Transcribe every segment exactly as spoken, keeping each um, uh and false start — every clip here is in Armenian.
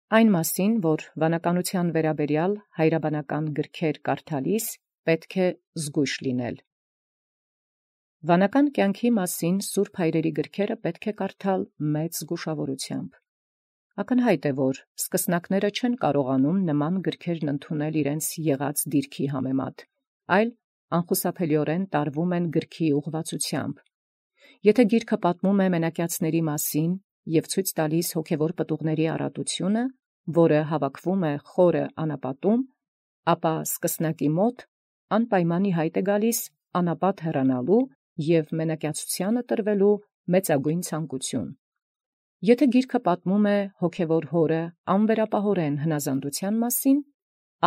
Այն մասին, որ վանականութեան վերաբերեալ հայրաբանական գրքեր կարդալիս պետք է զգոյշ լինել։ Վանական կյանքի մասին սուրբ հայրերի գրքերը պետք է կարդալ մեծ զգուշավորութեամբ։ Ակնհայտ է, որ սկսնակները չեն կարողանում նման գրքերն ընդունել իրենց եղած դիրքի համեմատ, այլ անխուսափելիորեն տարվում են գրքի ուղղվածությամբ։ Եթե գիրքը պատմում է մենակյացների մասին և ցույց տալիս հոգևոր պտուղների առատությունը, որը հավաքվում է խորը անապատում, ապա սկսնակի մոտ անպայման ի հայտ է գալիս անապատ հեռանալու և մենակյացությանը տրվելու մեծագույն ցանկություն։ Եթե գիրքը պատմում է հոգևոր հորը անվերապահորեն հնազանդության մասին,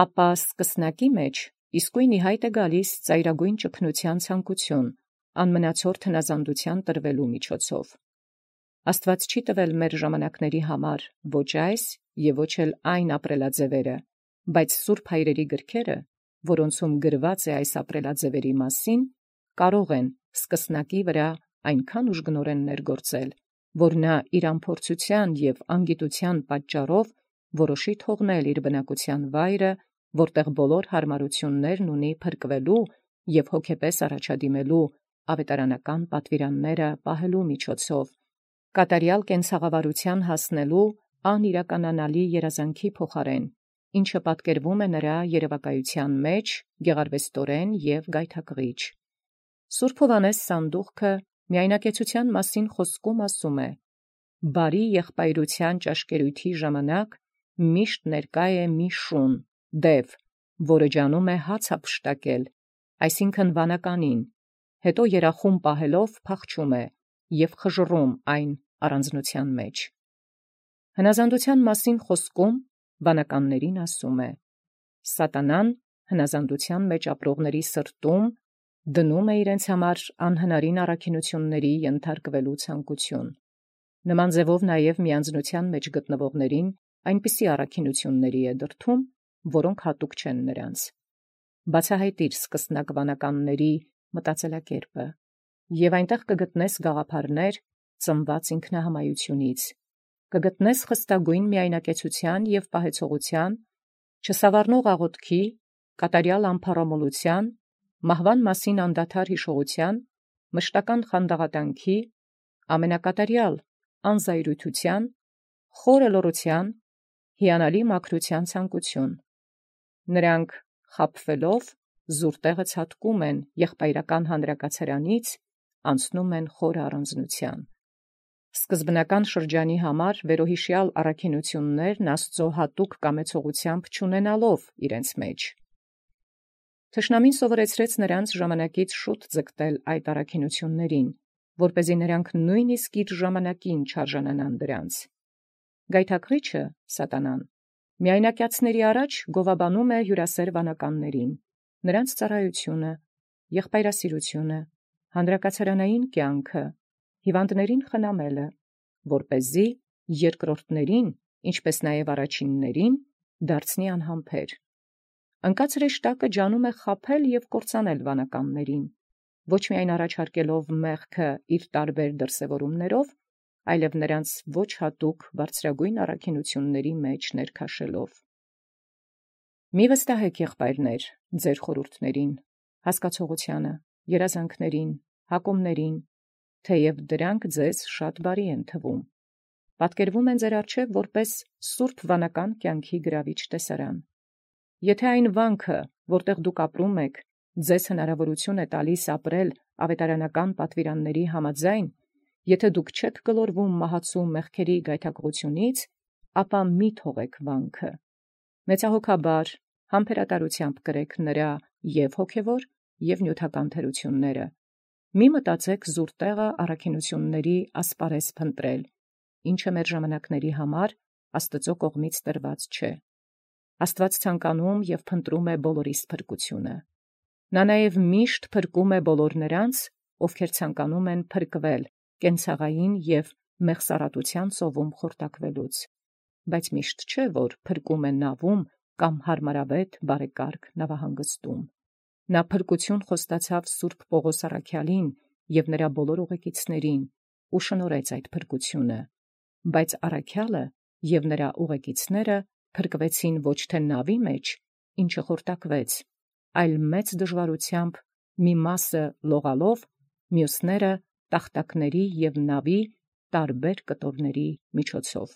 ապա սկսնակի մեջ իսկույն ի հայտ է գալիս ծայրագույն ճգնության ցանկություն անմնացորդ հնազանդության տրվելու միջոցով։ Աստուած չի տվել մեր ժամանակների համար ոչ այս և ոչ էլ այն ապրելաձևերը, բայց սուրբ հայրերի գրքերը, որոնցում գրված է այս ապրելաձևերի մասին, կարող են սկսնակի վրա այնքան ուժգնորեն ներգործել, որ նա իր անփորձութեան և անգիտութեան պատճառով որոշի թողնել իր բնակության վայրը, որտեղ բոլոր հարմարություններն ունի փրկվելու և հոգեպես առաջադիմելու ավետարանական պատվիրանները պահելու միջոցով, կատարյալ կենցաղավարութեան հասնելու անիրականանալի երազանքի փոխարեն, ինչը պատկերվում է նրա երևակայութեան մեջ գեղարվեստորեն և գայթակղիչ։ Սուրբ Հովհաննես Սանդուղքը միայնակեցութեան մասին խոսքում ասում է. «Բարի եղբայրութեան ճաշկերութի ժամանակ միշտ ներկայ է մի շուն, դև, որը ջանում է հաց յափշտակել, այսինքն վանականին, հետո երախում պահելով փախչում է և խժռում այն առանձնութեան մեջ»։ Հնազանդութեան մասին խոսքում վանականներին ասում է. «Սատանան հնազանդութեան մեջ ապրողների սրտում դնում է իրենց համար անհնարին առաքինութիւնների ենթարկվելու ցանկություն։ Նման ձևով նաև միանձնութեան մեջ գտնվողներին այնպիսի առաքինութիւնների է դրդում, որոնք հատուկ չեն նրանց։ Բացահայտիր սկսնակ վանականների մտածելակերպը, և այնտեղ կգտնես գաղափարներ ծնված ինքնահամայությունից, կգտնես խստագույն միայնակեցութեան և պահեցողութեան, չսավառնող աղոթքի, կատարյալ ամփառամոլութեան, մահվան մասին անդադար յիշողութեան, մշտական խանդաղատանքի, ամենակատարյալ անզայրույթութեան, խորը լռութեան, հիանալի մաքրութեան ցանկություն։ Նրանք խաբվելով զուր տեղը ցատկում են եղբայրական հանրակացարանից, անցնում են խորը առանձնութեան։ Սկզբնական շրջանի համար վերոհիշյալ առաքինութիւններն Աստուծոյ հատուկ կամեցողութեամբ չունենալով իրենց մեջ։ Թշնամին սովորեցրեց նրանց ժամանակից շուտ ձգտել այդ առաքինութիւնացն, որպեսզի նրանք նույնիսկ իր ժամանակին չարժանանան դրանց։ Գայթակղիչը սատանան միայնակյացների առաջ գովաբանում է հյուրասեր վանականներին, նրանց ծառայությունը, եղբայրասիրությունը, հանրակացարանային կյանքը, հիվանդներին խնամելը, որպեսզի երկրորդներին, ինչպես նաև առաջիններին, դարձնի անհամբեր։ Ընկած հրեշտակը ջանում է խաբել և կործանել վանականներին, ոչ միայն առաջարկելով մեղքը իր տարբեր դրսևորումներով, այլև նրանց ոչ հատուկ բարձրագույն առաքինութիւնների մեջ ներքաշելով։ Մի վստահեք, եղբայրներ, ձեր խորհուրդներին, հասկացողութեանը, երազանքներին, հակումներին, թեև դրանք ձեզ շատ բարի են թվում, պատկերվում են ձեր առջև որպես սուրբ վանական կյանքի գրավիչ տեսարան։ Եթե այն վանքը, որտեղ դուք ապրում եք, ձեզ հնարավորություն է տալիս ապրել ավետարանական պատվիրանների համաձայն, եթե դուք չեք գլորվում մահացու մեղքերի գայթակղությունից, ապա մի թողեք վանքը։ Մեծահոգաբար, համբերատարությամբ կրեք նրա և հոգևոր, և նյութական թերությունները։ Մի մտածեք զուր տեղը առաքինութիւնների ասպարեզ փնտրել, ինչը մեր ժամանակների համար Աստուծոյ կողմից տրված չէ։ Աստուած ցանկանում և փնտրում է բոլորիս փրկությունը։ Նա նաև միշտ փրկում է բոլոր նրանց, ովքեր ցանկանում են փրկվել կենցաղային և մեղսարատության ծովում խորտակվելուց, բայց միշտ չէ, որ փրկում է նավում կամ հարմարավետ բարեկարգ նավահանգստում։ Նա փրկություն խոստացավ սուրբ Պողոս առաքյալին և նրա բոլոր ուղեկիցներին ու շնորհեց այդ փրկությունը, բայց առաքյալը և նրա ուղեկիցները փրկվեցին ոչ թե նավի մեջ, ինչը խորտակվեց, այլ մեծ դժվարութեամբ մի մասը լողալով, մյուսները տախտակների և նավի տարբեր կտորների միջոցով։